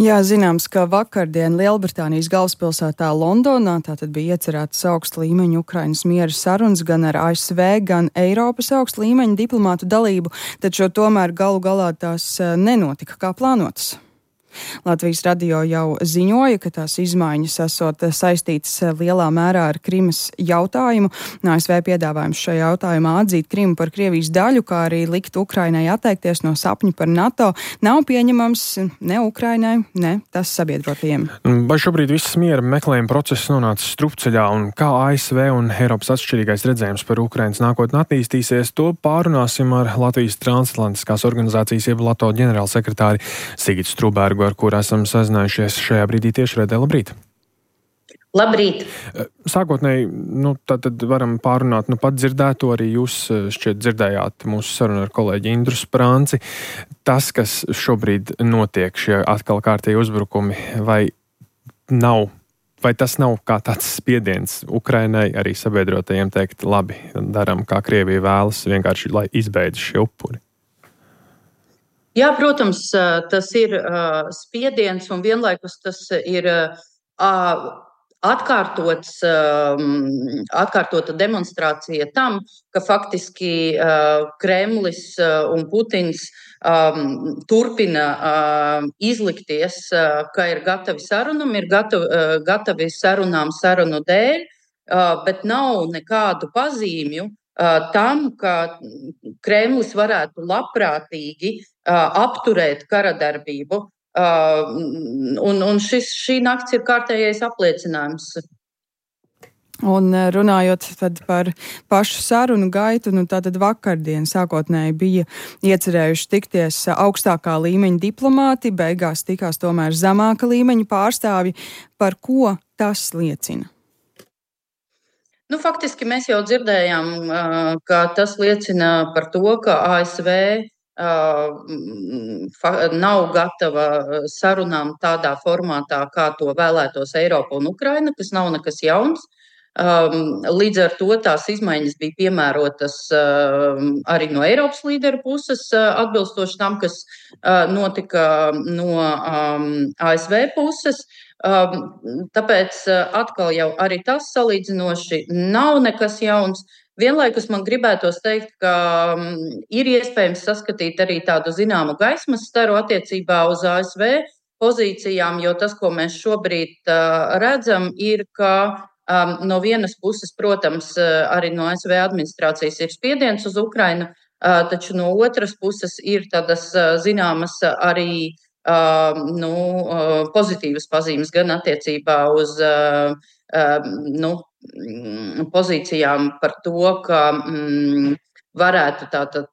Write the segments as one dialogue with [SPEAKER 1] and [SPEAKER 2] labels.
[SPEAKER 1] Jā, zināms, ka vakardien Lielbritānijas galvaspilsētā Londonā tātad bija iecerētas augsta līmeņa Ukrainas miera sarunas gan ar ASV, gan Eiropas augsta līmeņa diplomātu dalību, taču tomēr galu galā tās nenotika kā plānotas. Latvijas radio jau ziņoja, ka tās izmaiņas esot saistītas lielā mērā ar Krimas jautājumu. ASV piedāvājums šajā jautājumā atzīt Krimu par Krievijas daļu, kā arī likt Ukrainai atteikties no sapņu par NATO, nav pieņemams ne Ukrainai, ne tās sabiedrotajiem.
[SPEAKER 2] Vai šobrīd viss miera meklējuma process nonācis strupceļā un kā ASV un Eiropas atšķirīgais redzējums par Ukrainas nākotni attīstīsies, to pārunāsim ar Latvijas transatlantiskās organizācijas jeb LATO ģenerālsekretāri Sigitu Strūbergu, ar kuru esam sazinājušies šajā brīdī tiešraidē. Labrīt!
[SPEAKER 3] Labrīt!
[SPEAKER 2] Sākotnēji, tad varam pārunāt, pat dzirdēto, arī jūs šķiet dzirdējāt mūsu sarunu ar kolēģi Indru Sprānci. Tas, kas šobrīd notiek, šie atkal kārtīgi uzbrukumi, vai tas nav kā tāds spiediens Ukrainai, arī sabiedrotajiem teikt, labi, daram, kā Krievija vēlas, vienkārši, lai izbeidz šie upuri?
[SPEAKER 3] Jā, protams, tas ir spiediens un vienlaikus tas ir atkārtota demonstrācija tam, ka faktiski Kremlis un Putins turpina izlikties, ka ir gatavi sarunam, ir gatavi sarunām sarunu dēļ, bet nav nekādu pazīmju tam, ka Kremlis varētu labprātīgi apturēt karadarbību. Un šī nakts ir kārtējais apliecinājums.
[SPEAKER 1] Un runājot tad par pašu sarunu gaitu, tātad vakardien sākotnēji bija iecerējuši tikties augstākā līmeņa diplomāti, beigās tikās tomēr zemāka līmeņa pārstāvji. Par ko tas liecina?
[SPEAKER 3] Faktiski mēs jau dzirdējām, ka tas liecina par to, ka ASV nav gatava sarunām tādā formātā, kā to vēlētos Eiropa un Ukraina, kas nav nekas jauns. Līdz ar to tās izmaiņas bija piemērotas arī no Eiropas līderu puses, atbilstoši tam, kas notika no ASV puses. Tāpēc atkal jau arī tas salīdzinoši nav nekas jauns. Vienlaikus man gribētos teikt, ka ir iespējams saskatīt arī tādu zināmu gaismas staru attiecībā uz ASV pozīcijām, jo tas, ko mēs šobrīd redzam, ir, ka no vienas puses, protams, arī no ASV administrācijas ir spiediens uz Ukrainu, taču no otras puses ir tādas zināmas arī pozitīvas pazīmes gan attiecībā uz pozīcijām par to, ka varētu tātad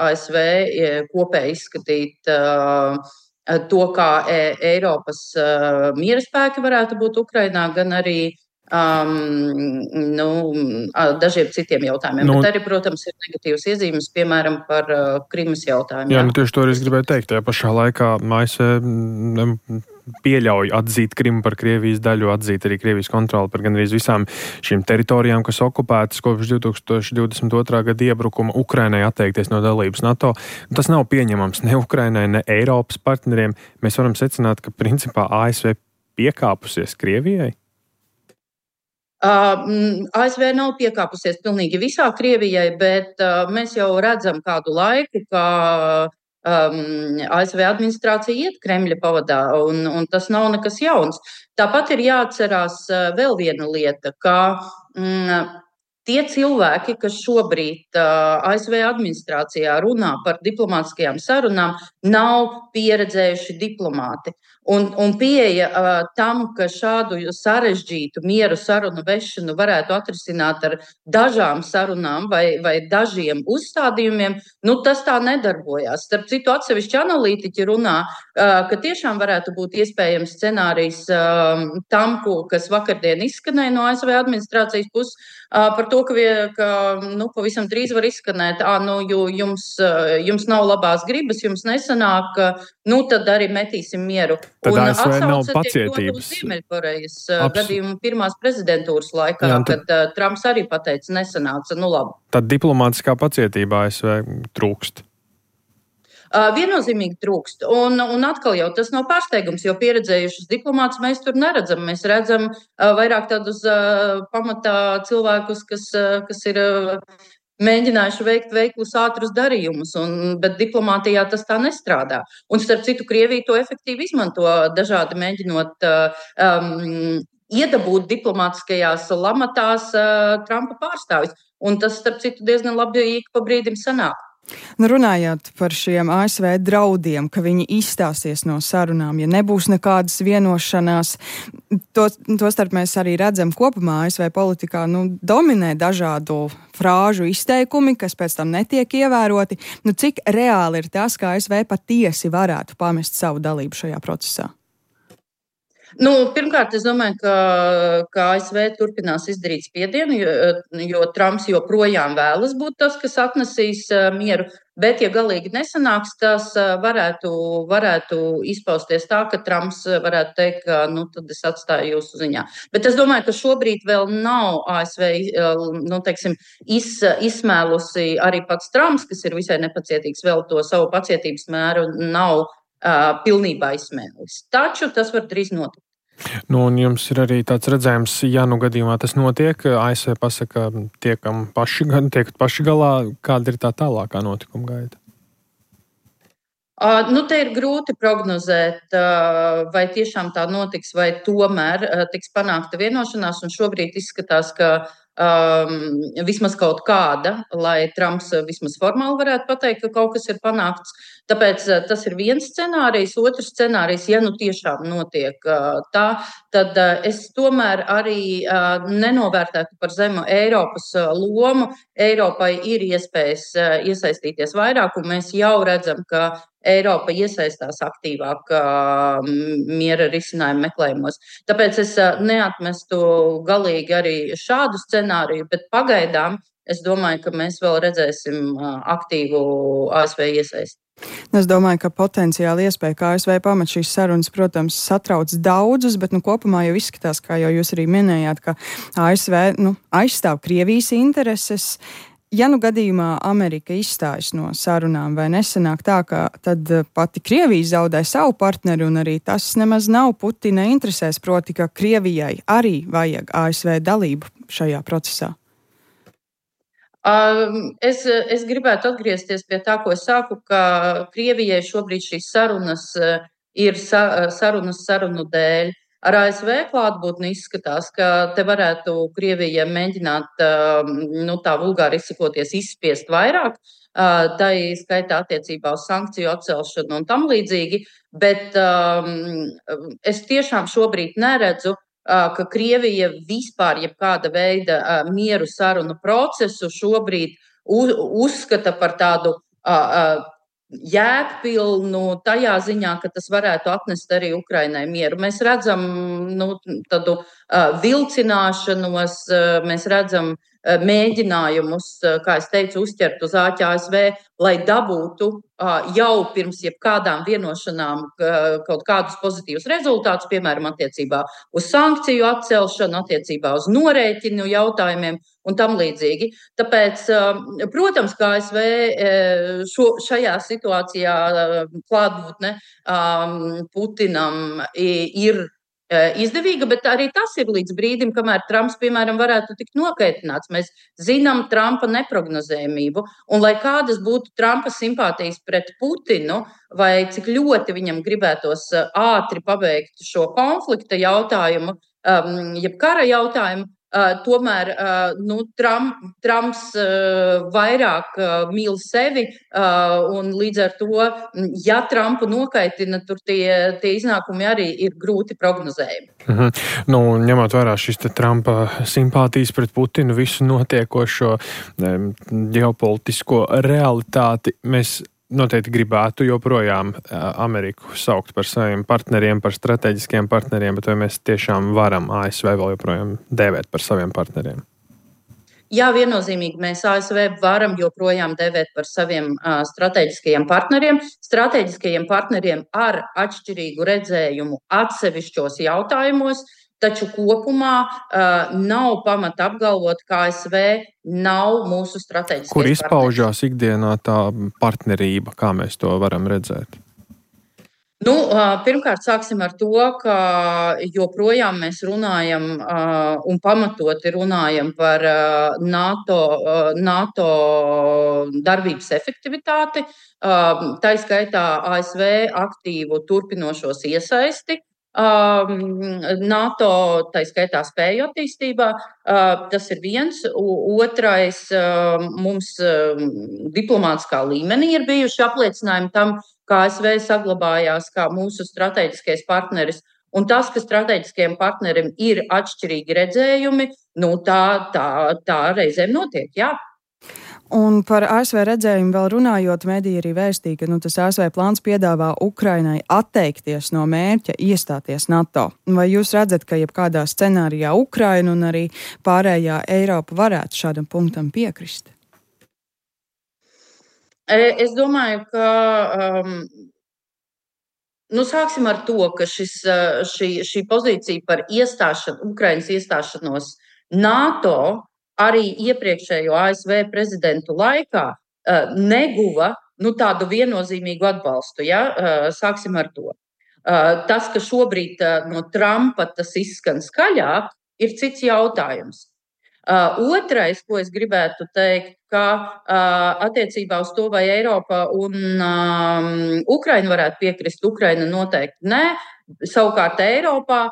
[SPEAKER 3] ASV kopēji izskatīt to, kā Eiropas miera spēki varētu būt Ukrainā, gan arī dažiem citiem jautājumiem. Bet arī, protams, ir negatīvas iezīmes, piemēram, par Krimas jautājumu.
[SPEAKER 2] Jā, tieši to es gribēju teikt. Tajā pašā laikā ASV pieļauj atzīt Krimu par Krievijas daļu, atzīt arī Krievijas kontroli par gandrīz visām šīm teritorijām, kas okupētas kopš 2022. Gada iebrukuma, Ukrainai atteikties no dalības NATO. Tas nav pieņemams ne Ukrainai, ne Eiropas partneriem. Mēs varam secināt, ka principā ASV piekāpusies Krievijai?
[SPEAKER 3] ASV nav piekāpusies pilnīgi visā Krievijai, bet mēs jau redzam kādu laiku, ka ASV administrācija iet Kremļa pavadā, un tas nav nekas jauns. Tāpat ir jāatcerās vēl viena lieta, ka tie cilvēki, kas šobrīd ASV administrācijā runā par diplomātiskajām sarunām, nav pieredzējuši diplomāti. Un pieeja tam, ka šādu sarežģītu mieru sarunu vešanu varētu atrisināt ar dažām sarunām vai dažiem uzstādījumiem, tas tā nedarbojās. Starp citu, atsevišķi analītiķi runā, ka tiešām varētu būt iespējams scenārijs tam, kas vakardien izskanēja no ASV administrācijas puses, par to, ka pavisam drīz var izskanēt, jo jums nav labās gribas, jums nesanāk, tad arī metīsim mieru.
[SPEAKER 2] Tad ASV nav pacietības.
[SPEAKER 3] Ziemeļkorejas gadījumu pirmās prezidentūras laikā, kad Trumps arī pateica, nesanāca, labi.
[SPEAKER 2] Tad diplomātiskā pacietība ASV trūkst.
[SPEAKER 3] Viennozīmīgi trūkst. Un atkal jau tas nav pārsteigums, jo pieredzējušus diplomātus mēs tur neredzam. Mēs redzam vairāk tādus pamatā cilvēkus, kas ir mēģinājuši veikt veiklus ātrus darījumus, bet diplomātijā tas tā nestrādā. Un starp citu, Krievija to efektīvi izmanto dažādi mēģinot iedabūt diplomātiskajās lamatās Trumpa pārstāvis. Un tas, starp citu, diezgan labi pa brīdim sanāk.
[SPEAKER 1] Nu, runājot par šiem ASV draudiem, ka viņi izstāsies no sarunām, ja nebūs nekādas vienošanās, tostarp mēs arī redzam kopumā ASV politikā, dominē dažādu frāžu izteikumi, kas pēc tam netiek ievēroti. Cik reāli ir tas, ka ASV patiesi varētu pamest savu dalību šajā procesā?
[SPEAKER 3] Pirmkārt, es domāju, ka ASV turpinās izdarīt spiedienu, jo Trumps joprojām vēlas būt tas, kas atnesīs mieru. Bet, ja galīgi nesanāks, tas varētu izpausties tā, ka Trumps varētu teikt, ka tad es atstāju jūsu ziņā. Bet es domāju, ka šobrīd vēl nav ASV izsmēlusi arī pats Trumps, kas ir visai nepacietīgs, vēl to savu pacietības mēru nav pilnībā izsmēlis. Taču tas var drīz notikt.
[SPEAKER 2] Un jums ir arī tāds redzējums, ja gadījumā tas notiek, ASV pasaka, tiek paši galā, kāda ir tā tālākā notikuma gaita?
[SPEAKER 3] Te ir grūti prognozēt, vai tiešām tā notiks, vai tomēr tiks panākta vienošanās, un šobrīd izskatās, ka vismaz kaut kāda, lai Trumps vismaz formāli varētu pateikt, ka kaut kas ir panākts. Tāpēc tas ir viens scenārijs. Otrs scenārijs, ja tiešām notiek tā, tad es tomēr arī nenovērtētu par zemu Eiropas lomu. Eiropai ir iespējas iesaistīties vairāk, un mēs jau redzam, ka Eiropa iesaistās aktīvāk miera risinājumu meklējumos. Tāpēc es neatmestu galīgi arī šādu scenāriju, bet pagaidām es domāju, ka mēs vēl redzēsim aktīvu ASV iesaisti.
[SPEAKER 1] Es domāju, ka potenciāli iespēja, ka ASV pamet šīs sarunas, protams, satrauc daudzus, bet kopumā jau izskatās, kā jau jūs arī minējāt, ka ASV aizstāv Krievijas intereses. Ja gadījumā Amerika izstājas no sarunām, vai nesanāk tā, ka tad pati Krievija zaudē savu partneri, un arī tas nemaz nav Putina interesēs, proti, ka Krievijai arī vajag ASV dalību šajā procesā?
[SPEAKER 3] Es gribētu atgriezties pie tā, ko es sāku, ka Krievijai šobrīd šīs sarunas ir sarunas sarunu dēļ. Ar ASV klātbūtni izskatās, ka te varētu Krievija mēģināt, tā vulgāri izsakoties, izspiest vairāk, tā skaitā attiecībā uz sankciju atcelšanu un tam līdzīgi, bet es tiešām šobrīd neredzu, ka Krievija vispār jebkāda veida mieru sarunu procesu šobrīd uzskata par tādu jēgpilnu tajā ziņā, ka tas varētu atnest arī Ukrainai mieru. Mēs redzam tādu vilcināšanos, mēs redzam mēģinājumus, kā es teicu, uzķert uz āķa ASV, lai dabūtu jau pirms jebkādām vienošanām kaut kādus pozitīvus rezultātus, piemēram, attiecībā uz sankciju atcelšanu, attiecībā uz norēķinu jautājumiem un tam līdzīgi. Tāpēc, protams, ka ASV šajā situācijā klātbūtne Putinam ir izdevīga, bet arī tas ir līdz brīdim, kamēr Trumps, piemēram, varētu tikt nokaitināts. Mēs zinām Trumpa neprognozējumību, un lai kādas būtu Trumpa simpātijas pret Putinu, vai cik ļoti viņam gribētos ātri pabeigt šo konflikta jautājumu, jeb kara jautājumu, tomēr Trumps vairāk mīl sevi, un līdz ar to, ja Trumpu nokaitina, tur tie iznākumi arī ir grūti prognozējami.
[SPEAKER 2] Ņemot vērā šis Trumpa simpātijas pret Putinu, visu notiekošo ģeopolitisko realitāti, mēs noteikti gribētu joprojām Ameriku saukt par saviem partneriem, par strateģiskiem partneriem, bet vai mēs tiešām varam ASV vēl joprojām dēvēt par saviem partneriem?
[SPEAKER 3] Jā, viennozīmīgi mēs ASV varam joprojām dēvēt par saviem strateģiskajiem partneriem ar atšķirīgu redzējumu atsevišķos jautājumos. taču kopumā nav pamata apgalvot, ka ASV nav mūsu strateģiskais partneris.
[SPEAKER 2] Kur izpaužās ikdienā tā partnerība, kā mēs to varam redzēt?
[SPEAKER 3] Pirmkārt, sāksim ar to, ka joprojām mēs runājam un pamatoti runājam par NATO darbības efektivitāti, tā skaitā ASV aktīvu turpinošos iesaisti NATO, tā skaitā spēju attīstībā. Tas ir viens. Otrais, mums diplomātiskā līmenī ir bijuši apliecinājumi tam, kā ASV saglabājās kā mūsu strateģiskais partneris. Un tas, ka strateģiskajiem partnerim ir atšķirīgi redzējumi, tā reizēm notiek, jā.
[SPEAKER 1] Un par ASV redzējumu vēl runājot, mediji arī vēstīja, ka tas ASV plāns piedāvā Ukrainai atteikties no mērķa iestāties NATO. Vai jūs redzat, ka jebkādā scenārijā Ukraina un arī pārējā Eiropa varētu šādam punktam piekrist?
[SPEAKER 3] Es domāju, ka sāksim ar to, ka šī pozīcija par Ukrainas iestāšanos NATO arī iepriekšējo ASV prezidentu laikā neguva tādu viennozīmīgu atbalstu. Ja? Sāksim ar to. Tas, ka šobrīd no Trumpa tas izskan skaļāk, ir cits jautājums. Otrais, ko es gribētu teikt, ka attiecībā uz to, vai Eiropa un Ukraina varētu piekrist, Ukraina noteikti nē. Savukārt Eiropā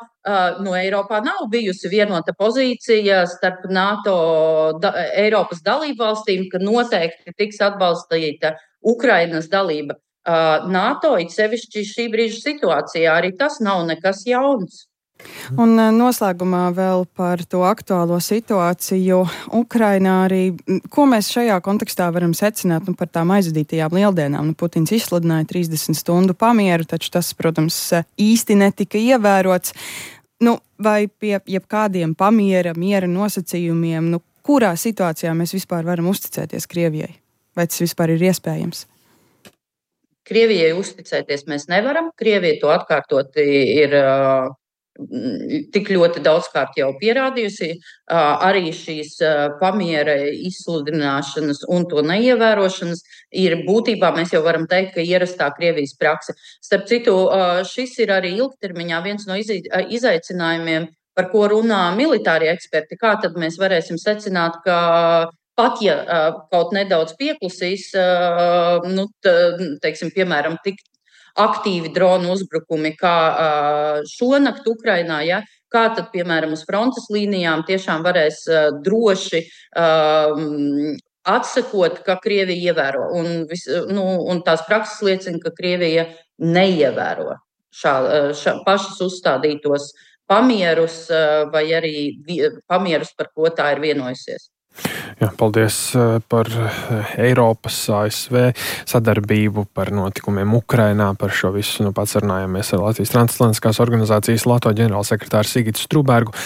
[SPEAKER 3] nav bijusi vienota pozīcija starp NATO Eiropas dalību valstīm, ka noteikti tiks atbalstīta Ukrainas dalība NATO, it sevišķi šī brīža situācijā. Arī tas nav nekas jauns.
[SPEAKER 1] Un noslēgumā vēl par to aktuālo situāciju Ukrainā arī, ko mēs šajā kontekstā varam secināt par tām aizvadītajām lieldienām. Putins izsludināja 30 stundu pamieru, taču tas, protams, īsti netika ievērots. Vai pie jebkādiem miera nosacījumiem, kurā situācijā mēs vispār varam uzticēties Krievijai? Vai tas vispār ir iespējams?
[SPEAKER 3] Krievijai uzticēties mēs nevaram. Krievija to atkārtoti ir tik ļoti daudzkārt jau pierādījusi. Arī šīs pamiera izsludināšanas un to neievērošanas ir būtībā, mēs jau varam teikt, ka ierastā Krievijas prakse. Starp citu, šis ir arī ilgtermiņā viens no izaicinājumiem, par ko runā militārie eksperti. Kā tad mēs varēsim secināt, ka pat ja kaut nedaudz pieklusīs, teiksim, piemēram, tik aktīvi dronu uzbrukumi, kā šonakt Ukrainā, ja? Kā tad, piemēram, uz frontes līnijām tiešām varēs droši atsekot, ka Krievija ievēro. Un tās prakses liecina, ka Krievija neievēro pašas uzstādītos pamierus vai arī pamierus, par ko tā ir vienojusies.
[SPEAKER 2] Jā, paldies par Eiropas ASV sadarbību, par notikumiem Ukrainā, par šo visu. Pats runājāmies ar Latvijas transatlantiskās organizācijas LATO ģenerālsekretāru Sigitu Strūbergu.